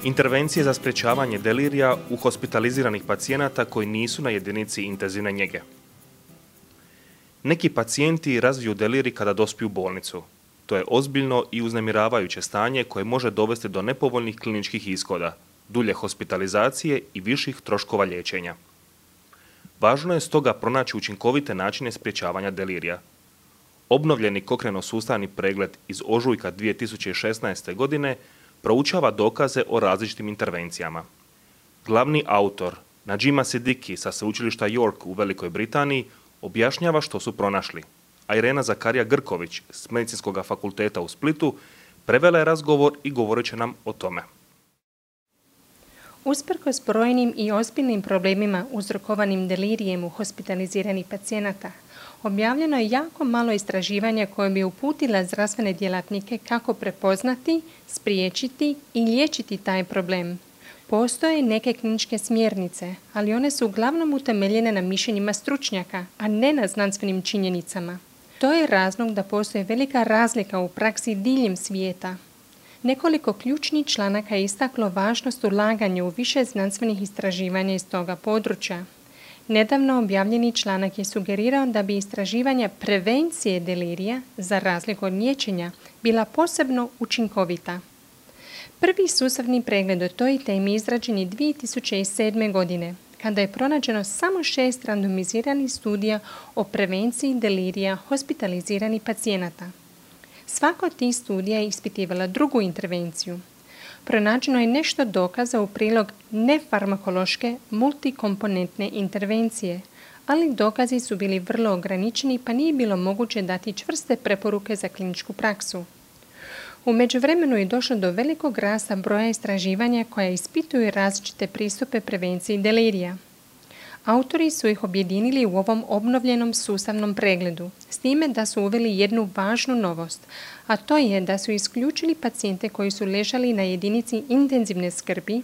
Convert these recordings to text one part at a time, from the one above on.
Intervencije za sprječavanje delirija u hospitaliziranih pacijenata koji nisu na jedinici intenzivne njege. Neki pacijenti razviju delirij kada dospiju u bolnicu. To je ozbiljno i uznemiravajuće stanje koje može dovesti do nepovoljnih kliničkih ishoda, dulje hospitalizacije i viših troškova liječenja. Važno je stoga pronaći učinkovite načine sprječavanja delirija. Obnovljeni Cochrane-sustavni pregled iz ožujka 2016. godine proučava dokaze o različitim intervencijama. Glavni autor, Najima Siddiqui sa sveučilišta York u Velikoj Britaniji, objašnjava što su pronašli, a Irena Zakarija-Grković s Medicinskog fakulteta u Splitu prevela je razgovor i govorit će nam o tome. Usprkos brojnim i ozbiljnim problemima uzrokovanim delirijem u hospitaliziranih pacijenata, objavljeno je jako malo istraživanja koje bi uputila zdravstvene djelatnike kako prepoznati, spriječiti i liječiti taj problem. Postoje neke kliničke smjernice, ali one su uglavnom utemeljene na mišljenjima stručnjaka, a ne na znanstvenim činjenicama. To je razlog da postoji velika razlika u praksi diljem svijeta. Nekoliko ključnih članaka je istaklo važnost ulaganja u više znanstvenih istraživanja iz toga područja. Nedavno objavljeni članak je sugerirao da bi istraživanja prevencije delirija, za razliku od liječenja, bila posebno učinkovita. Prvi sustavni pregled o toj temi izrađen je 2007. godine, kada je pronađeno samo 6 randomiziranih studija o prevenciji delirija hospitaliziranih pacijenata. Svaka od tih studija je ispitivala drugu intervenciju. Pronađeno je nešto dokaza u prilog nefarmakološke multikomponentne intervencije, ali dokazi su bili vrlo ograničeni pa nije bilo moguće dati čvrste preporuke za kliničku praksu. U međuvremenu je došlo do velikog rasta broja istraživanja koja ispituju različite pristupe prevenciji delirija. Autori su ih objedinili u ovom obnovljenom sustavnom pregledu, s time da su uveli jednu važnu novost, a to je da su isključili pacijente koji su ležali na jedinici intenzivne skrbi,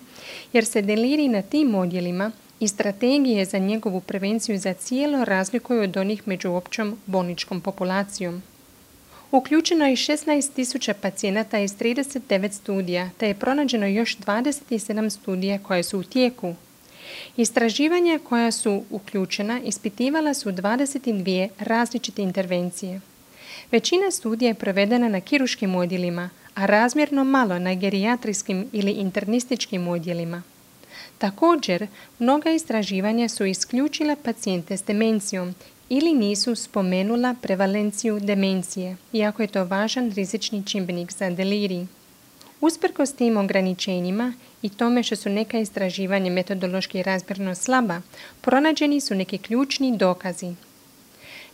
jer se delirij na tim odjelima i strategije za njegovu prevenciju za cijelo razlikuju od onih među općom bolničkom populacijom. Uključeno je 16.000 pacijenata iz 39 studija, te je pronađeno još 27 studija koje su u tijeku. Istraživanja koja su uključena ispitivala su 22 različite intervencije. Većina studija je provedena na kirurškim odjelima, a razmjerno malo na gerijatrijskim ili internističkim odjelima. Također, mnoga istraživanja su isključila pacijente s demencijom ili nisu spomenula prevalenciju demencije, iako je to važan rizični čimbenik za delirij. Usprkos tim ograničenjima i tome što su neka istraživanja metodološki razmjerno slaba, pronađeni su neki ključni dokazi.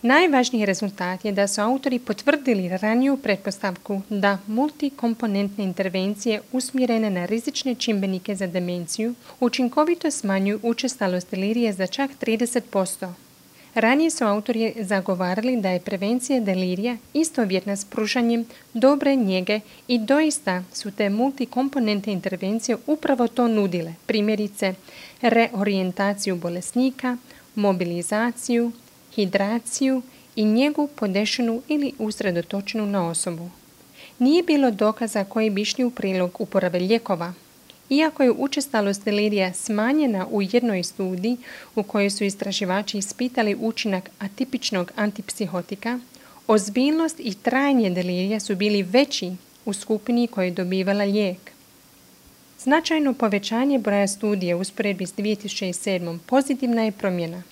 Najvažniji rezultat je da su autori potvrdili raniju pretpostavku da multikomponentne intervencije usmjerene na rizične čimbenike za demenciju učinkovito smanjuju učestalost delirija za čak 30%. Ranije su autori zagovarali da je prevencija delirija istovjetna s pružanjem dobre njege i doista su te multikomponentne intervencije upravo to nudile, primjerice reorijentaciju bolesnika, mobilizaciju, hidraciju i njegu podešenu ili usredotočenu na osobu. Nije bilo dokaza koji bi išli u prilog uporabe lijekova. Iako je učestalost delirija smanjena u jednoj studiji u kojoj su istraživači ispitali učinak atipičnog antipsihotika, ozbiljnost i trajanje delirija su bili veći u skupini koja je dobivala lijek. Značajno povećanje broja studija u usporedbi s 2007. pozitivna je promjena.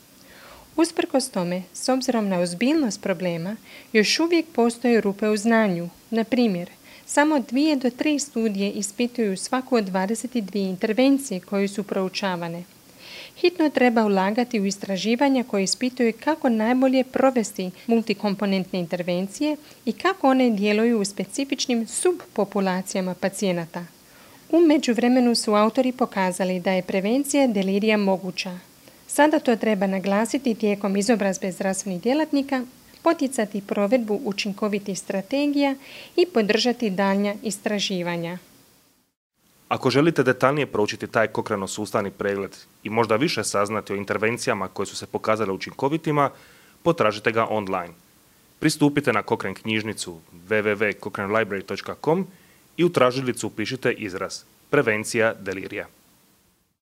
Usprkos tome, s obzirom na ozbiljnost problema, još uvijek postoje rupe u znanju. Na primjer, samo 2 do 3 studije ispituju svaku od 22 intervencije koje su proučavane. Hitno treba ulagati u istraživanja koje ispituju kako najbolje provesti multikomponentne intervencije i kako one djeluju u specifičnim subpopulacijama pacijenata. U međuvremenu su autori pokazali da je prevencija delirija moguća. Sada to treba naglasiti tijekom izobrazbe zdravstvenih djelatnika, poticati provedbu učinkovitih strategija i podržati daljnja istraživanja. Ako želite detaljnije proučiti taj Cochrane-sustavni pregled i možda više saznati o intervencijama koje su se pokazale učinkovitima, potražite ga online. Pristupite na Cochrane knjižnicu www.cochranelibrary.com i u tražilicu upišite izraz prevencija delirija.